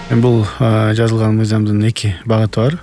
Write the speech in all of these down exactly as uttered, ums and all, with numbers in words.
Бул жазылган мыйзамдын эки багыты бар.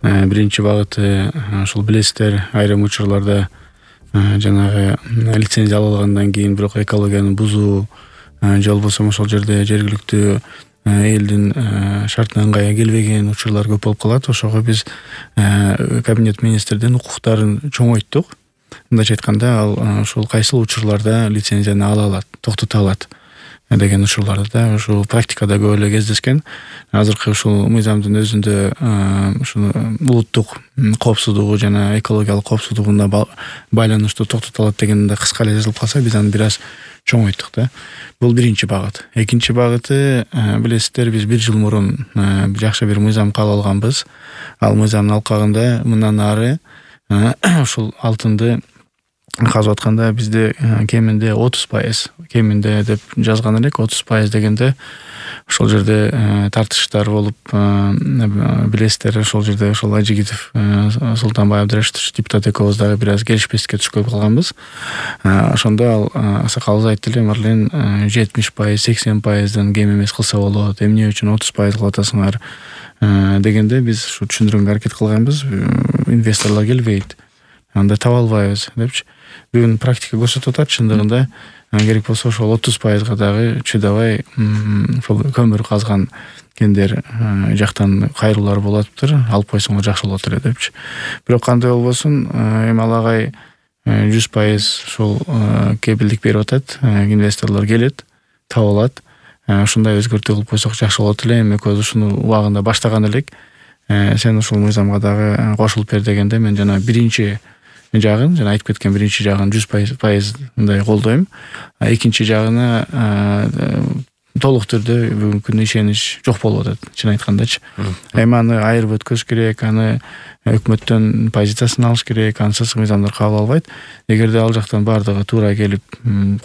Биринчи багыты ушул билесиздер, айрым учурларда жанагы лицензия алынгандан кийин бирок экологияны бузуу же болбосо ошол жерде жергиликтүү элдин шартына ыңгай келбеген учурлар көп болуп калат. Ошого биз кабинет министрдин укуктарын чоңойттук. Мындайча айтканда, ал ушул кайсыл учурларда лицензияны ала алат, токтото алат деген учурларды да ушул практикада көп эле кездешкен. Азыркы ушул мыйзамдын өзүндө ушул улуттук коопсуздугу жана экологиялык коопсуздугуна байланыштуу токтото алат деген да кыска эле жазылып калса, биз аны бир аз чоңойттук да. Бул биринчи багыт. Экинчи багыты, билесиздер, биз бир жыл мурун жакшы бир мыйзам кабыл алганбыз. Ал мыйзамдын алкагында мындан ары ушул алтынды казып атканда бизде кеминде отуз пайыз, кеминде деп жазган элек, отуз пайыз дегенде ошол жерде тартыштар болуп, билесиздер, ошол жерде ошол Ажигитов Султанбай Абдрашитович депутат экөөбүз дагы бир аз келишпестикке түшүп калганбыз. Ошондо ал аксакалыбыз айтты эле, марлен жетимиш пайыз, сексен пайыздан кем эмес кылса болот, эмне үчүн отуз пайыз кылып атасыңар дегенде биз ушу түшүндүргөнгө аракет кылганбыз. Инвесторлор келбейт, анда таба албайбыз депчи. Бүгүн практика көрсөтүп атат, чындыгында керек болсо ошол отуз пайызга дагы чыдабай ошол көмүр казган кендер жактан кайрылуулар болоптур, алып койсоңор жакшы болот эле депчи. Бирок кандай болбосун, эми алагай жүз пайыз ушул кепилдик берип атат, инвесторлор келет, таба алат. Ушундай өзгөртүү кылып койсок жакшы болот эле. Эми экөөбүз ушуну убагында баштаган элек. Сен ушул мыйзамга дагы кошулуп бер дегенде, мен жана биринчи жагын, жана айтып кеткен биринчи жагын жүз пайыз мындай колдойм. Экинчи жагына толук түрдө бүгүнкү күндө ишенич жок болуп атат, чын айткандачы. Эми аны айырып өткөз керек, аны өкмөттөн позициясын алыш керек, ансыз мыйзамдар кабыл албайт. Эгерде ал жактан бардыгы туура келип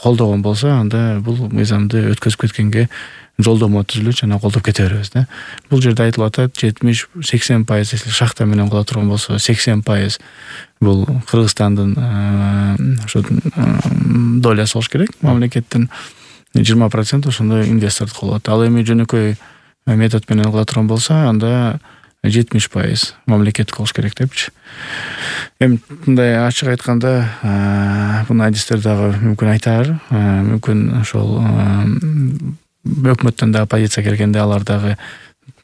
колдогон болсо, анда бул мыйзамды өткөзүп кеткенге жолдомо түзүлөт жана колдоп кете беребиз да. Бул жерде айтылып атат, жетимиш сексен пайыз шахта менен кыла турган болсо, сексен пайыз бул Кыргызстандын ошо долясы болуш керек, мамлекеттин жыйырма процент ошондо инвестордук болот. Ал эми жөнөкөй метод менен кыла турган болсо, анда жетимиш пайыз мамлекеттик болуш керек депчи. Эми мындай ачык айтканда, буну адистер дагы мүмкүн айтар, мүмкүн ошол өкмөттөн дагы позиция келгенде алар дагы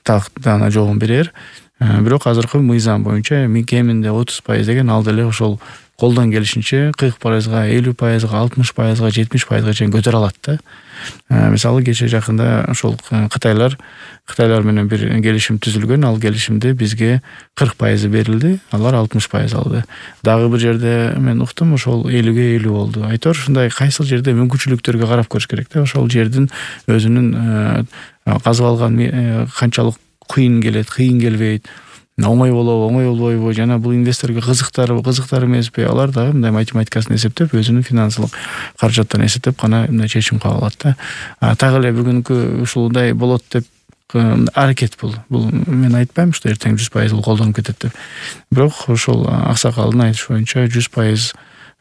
тактана жообун берер. Бирок азыркы мыйзам боюнча кеминде отуз пайыз деген ал деле ошол колдон келишинче кырк пайызга, элүү пайызга, алтымыш пайызга, жетимиш пайызга чейин көтөрө алат да. Мисалы кече жакында ошол Кытайлар Кытайлар менен бир келишим түзүлгөн. Ал келишимде бизге кырк пайызы берилди, алар алтымыш пайыз алды. Дагы бир жерде мен уктум, ошол элүүгө элүү болду. Айтор ушундай кайсыл жерде мүмкүнчүлүктөргө карап көрүш керек да. Ошол жердин өзүнүн казып алган канчалык кыйын келет, кыйын келбейт, оңой болобу, оңой болбойбу, жана бул инвесторго кызыктар, кызыктар эмеспи, алар дагы мындай математикасын эсептеп, өзүнүн финансылык каражаттарын эсептеп гана мындай чечим кабыл алат да. Так эле бүгүнкү ушундай болот деп аракет бул. Бул мен айтпайм, что эртең жүз пайыз колдонуп кетет деп. Бирок ошол аксакалдын айтышы боюнча жүз пайыз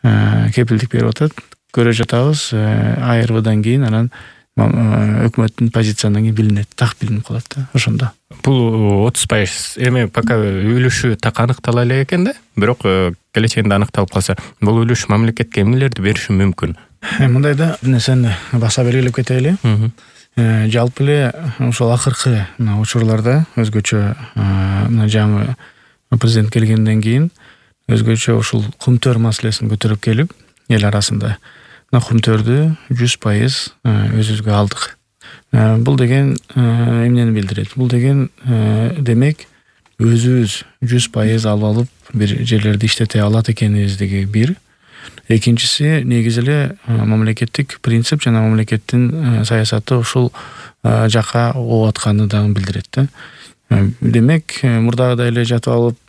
кепилдик берип атат. Көрө жатабыз, айырбыдан кийин анан өкмөттүн позициянан кийин билинет, так билинип калат да ошондо. Бул отуз пайыз эми пока үлүшү так аныктала элек экен да, бирок келечегинде аныкталып калса, бул үлүш мамлекетке эмнелерди бериши мүмкүн? Мындай да нерсени баса белгилеп кетели. Жалпы эле ошол акыркы учурларда өзгөчө мына жаңы президент келгенден кийин өзгөчө ушул кумтөр маселесин көтөрүп келип, эл арасында мына кумтөрдү жүз пайыз өзүбүзгө алдык. Бул деген эмнени билдирет? Бул деген демек өзүбүз жүз пайыз алып алып бир жерлерди иштете алат экенибиздиги бир. Экинчиси, негизи эле мамлекеттик принцип жана мамлекеттин саясаты ушул жакка ооп атканын дагы билдирет да. Демек, мурдагыдай эле жатып алып,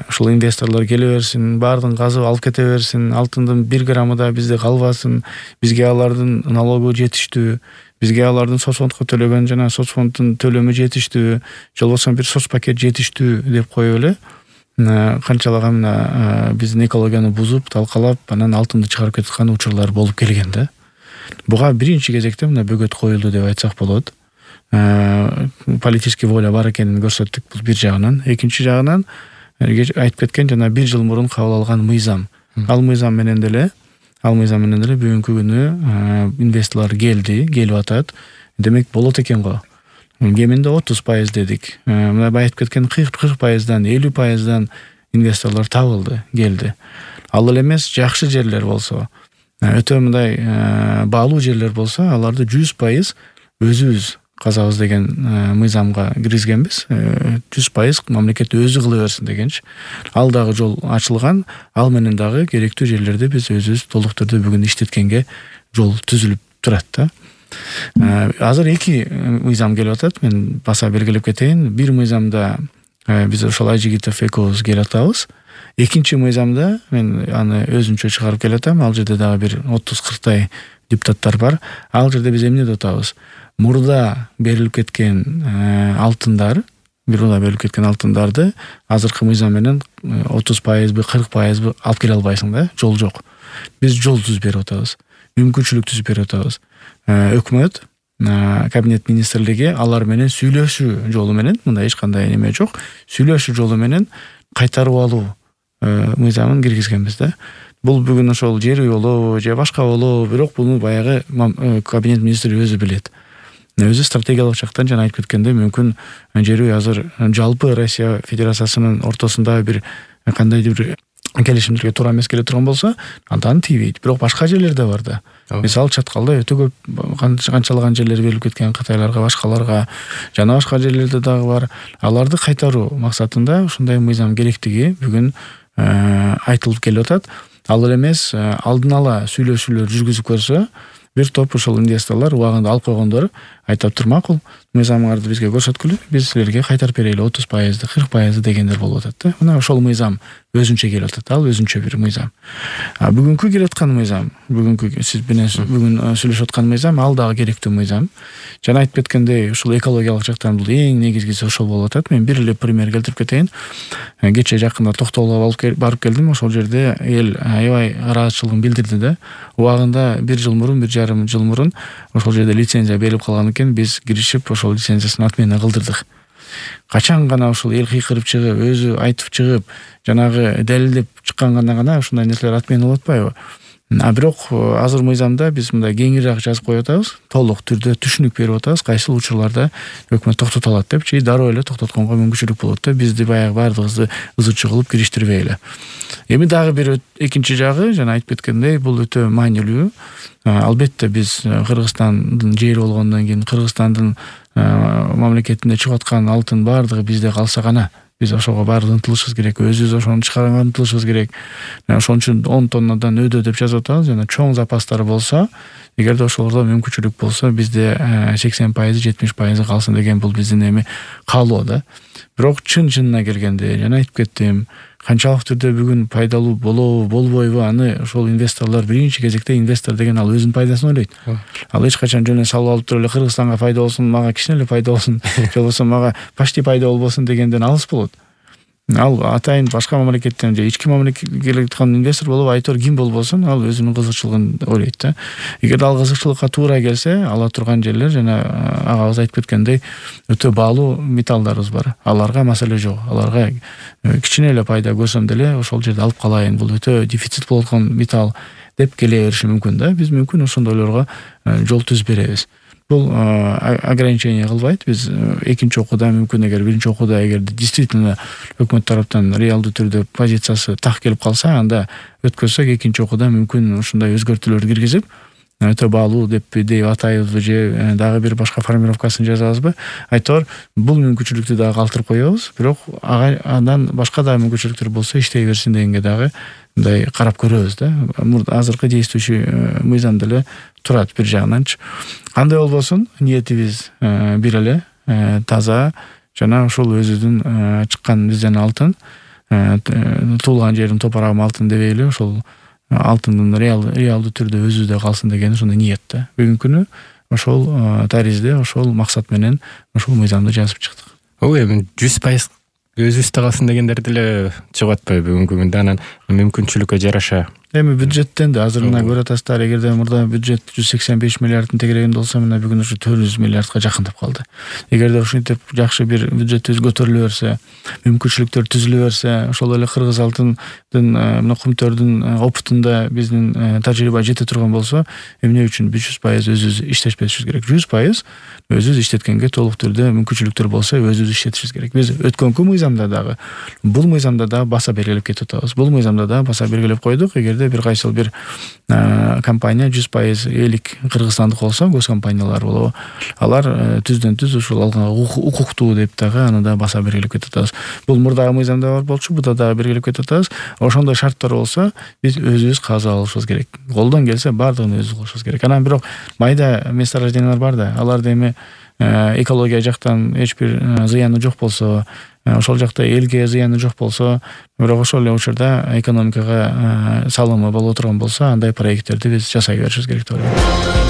ушул инвесторлор келе берсин, баардыгын казып алып кете берсин, алтындын бир граммы да бизде калбасын, бизге алардын налогу жетиштүү, бизге алардын соцфондко төлөгөн жана соцфонддун төлөмү жетиштүү, же болбосо бир соц пакет жетиштүү деп коюп эле канчалаган мына биздин экологияны бузуп, талкалап, анан алтынды чыгарып кеткан учурлар болуп келген да. Буга биринчи кезекте мына бөгөт коюлду деп айтсак болот. политический воля бар экенин көрсөттүк. Бул бир жагынан. Экинчи жагынан айтып кеткен жана бир жыл мурун кабыл алган мыйзам. Ал мыйзам менен деле, ал мыйзам менен деле бүгүнкү күнү инвесторлор келди, келип атат. Демек болот экен го. Кеминде отуз пайыз дедик. Мына айтып кеткен кырк пайыздан, элүү пайыздан инвесторлор табылды, келди. Ал эле эмес, жакшы жерлер болсо, өтө мындай баалуу жерлер болсо, аларды жүз пайыз өзүбүз казабыз деген мыйзамга киргизгенбиз. жүз пайыз мамлекет өзү кыла берсин дегенчи. Ал дагы жол ачылган. Ал менен дагы керектүү жерлерде биз өзүбүз толук түрдө бүгүн иштеткенге жол түзүлүп турат да. Азыр эки мыйзам келип атат. Мен баса белгилеп кетейин. Бир мыйзамда биз ошол Айжигитов экөөбүз келип атабыз. Экинчи мыйзамда мен аны өзүнчө чыгарып келип атам. Ал жерде дагы бир отуз кырктай депутаттар бар. Ал жерде биз эмне деп атабыз? Мурда берилип кеткен алтындар, мурда берилип кеткен алтындарды азыркы мыйзам менен отуз пайызбы, кырк пайызбы алып келе албайсың да, жол жок. Биз жол түзүп берип атабыз. Мүмкүнчүлүк түзүп берип атабыз. Өкмөт, кабинет министрлиги алар менен сүйлөшүү жолу менен, мында эч кандай неме жок, сүйлөшүү жолу менен кайтарып алуу мыйзамын киргизгенбиз да. Бул бүгүн ошол жер үй болобу, же башка болобу, бирок буну баягы кабинет министри өзү билет. Өзү стратегиялык жактан жана айтып кеткенде мүмкүн жер үй азыр жалпы Россия Федерациясынын ортосунда бир кандайдыр бир келишимдерге туура эмес келе турган болсо, андан тийбейт. Бирок башка жерлерде бар да. Мисалы Чаткалда өтө көп канчалаган жерлер берилип кеткен Кытайларга, башкаларга, жана башка жерлерде дагы бар. Аларды кайтаруу максатында ушундай мыйзам керектиги бүгүн айтылып келип атат. Ал эле эмес, алдын ала сүйлөшүүлөр жүргүзүп көрсө, бир топ ошол инвесторлор убагында алып койгондор айтып тур макул, мыйзамыңарды бизге көрсөткүлө, биз силерге кайтарып берели отуз пайызды, кырк пайызды дегендер болуп атат да. Мына ошол мыйзам өзүнчө келип атат, ал өзүнчө бир мыйзам. А бүгүнкү келип аткан мыйзам, бүгүнкү сиз менен бүгүн сүйлөшүп аткан мыйзам, ал дагы керектүү мыйзам. Жана айтып кеткендей, ушул экологиялык жактан бул эң негизгиси ошол болуп атат. Мен бир эле пример келтирип кетейин. Кече жакында Токтогулга барып келдим, ошол жерде эл аябай ыраазычылыгын билдирди да. Убагында бир жыл мурун, бир жарым жыл мурун ошол жерде лицензия берилип калган экен, биз киришип ошол лицензиясын отмена кылдырдык. Качан гана ушул эл кыйкырып чыгып, өзү айтып чыгып, жанагы далилдеп чыкканда гана ушундай нерселер отмена болуп атпайбы? А бирок азыр мыйзамда биз мындай кеңирээк жазып коюп атабыз, толук түрдө түшүнүк берип атабыз, кайсыл учурларда өкмөт токтото алат депчи, дароо эле токтотконго мүмкүнчүлүк болот да, бизди баягы баардыгыбызды ызычы кылып кириштирбей эле. Эми дагы бир экинчи жагы, жана айтып кеткендей, бул өтө маанилүү. Албетте биз Кыргызстандын жери болгондон кийин Кыргызстандын мамлекетинде чыгып аткан алтын баардыгы бизде калса гана, биз ошого баары ынтылышыбыз керек, өзүбүз ошону чыгарганга ынтылышыбыз керек. Ошон үчүн он тоннадан өдө деп жазып атабыз, жана чоң запастары болсо, эгерде ошолордо мүмкүнчүлүк болсо, бизде сексен пайызы, жетимиш пайызы калсын деген бул биздин эми каалоо да. Бирок чын-чынына келгенде, жана айтып кеттим, канчалык түрдө бүгүн пайдалуу болобу, болбойбу, аны ошол инвесторлор биринчи кезекте инвестор деген ал өзүнүн пайдасын ойлойт. Ал эч качан жөн эле салып алып туруп эле Кыргызстанга пайда болсун, мага кичине эле пайда болсун, же болбосо мага почти пайда болбосун дегенден алыс болот. Ал атайын башка мамлекеттен же ички мамлекетке келип аткан инвестор болобу, айтор ким болбосун, ал өзүнүн кызыкчылыгын ойлойт да. Эгерде ал кызыкчылыкка туура келсе, ала турган жерлер жана агабыз айтып кеткендей өтө баалуу металлдарыбыз бар. Аларга маселе жок. Аларга кичине эле пайда көрсөм деле ошол жерде алып калайын. Бул өтө дефицит болуп аткан металл деп келе бериши мүмкүн да. Биз мүмкүн ошондойлорго жол түзүп беребиз. Бул ограничение кылбайт. Биз экинчи окууда мүмкүн эгер биринчи окууда эгер действительно өкмөт тараптан реалдуу түрдө позициясы так келип калса, анда өткөрсөк экинчи окууда мүмкүн ушундай өзгөртүүлөрдү киргизип, өтө баалуу деп деп атайбызбы же дагы бир башка формировкасын жазабызбы? Айтор бул мүмкүнчүлүктү дагы калтырып коебуз, бирок андан башка да мүмкүнчүлүктөр болсо иштей берсин дегенге дагы мындай карап көрөбүз да. Азыркы действующий мыйзам деле турат бир жагынанчы. Кандай болбосун, ниетибиз бир эле, таза, жана ушул өзүдүн чыккан бизден алтын, туулган жерим топурагым алтын дебей эле ошол алтындын реалдуу түрдө өзүдө калсын деген ошондой ниет да. Бүгүнкү күнү ошол таризде, ошол максат менен ошол мыйзамды жазып чыктык. Ой, эми жүз пайыз өзүбүздө калсын дегендер деле чыгып атпайбы бүгүнкү күндө? Анан мүмкүнчүлүккө жараша Эми бюджеттен да азыр мына көрүп атасыздар, эгерде мурда бюджет жүз сексен беш миллиардтын тегерегинде болсо, мына бүгүн ушу төрт жүз миллиардка жакындап калды. Эгерде ушинтип жакшы бир бюджетибиз көтөрүлө берсе, мүмкүнчүлүктөр түзүлө берсе, ошол эле Кыргыз алтындын мына Кумтөрдүн опытында биздин тажрыйба жете турган болсо, эмне үчүн жүз пайыз өзүбүз иштешпешибиз керек? жүз пайыз өзүбүз иштеткенге толук түрдө мүмкүнчүлүктөр болсо, өзүбүз иштетишибиз керек. Биз өткөнкү мыйзамда дагы, бул мыйзамда дагы баса белгилеп кетип атабыз. Бул мыйзамда дагы баса белгилеп койдук. Эгерде бир кайсыл бир компания жүз пайыз элик кыргызстандык болсо, көз компаниялар болобу, алар түздөн түз ушул алганга укуктуу деп дагы аны да баса белгилеп кетип атабыз. Бул мурдагы мыйзамда бар болчу, буда дагы белгилеп кетип атабыз. Ошондой шарттар болсо, биз өзүбүз казып алышыбыз керек. Колдон келсе бардыгын өзүбүз кылышыбыз керек. Анан бирок майда месторождениялар бар да, аларда эми экология жактан эч бир зыяны жок болсо, ошол жакта элге зыяны жок болсо, бирок ошол эле учурда экономикага салымы боло турган болсо, андай проекттерди биз жасай беришибиз керек деп ойлойм.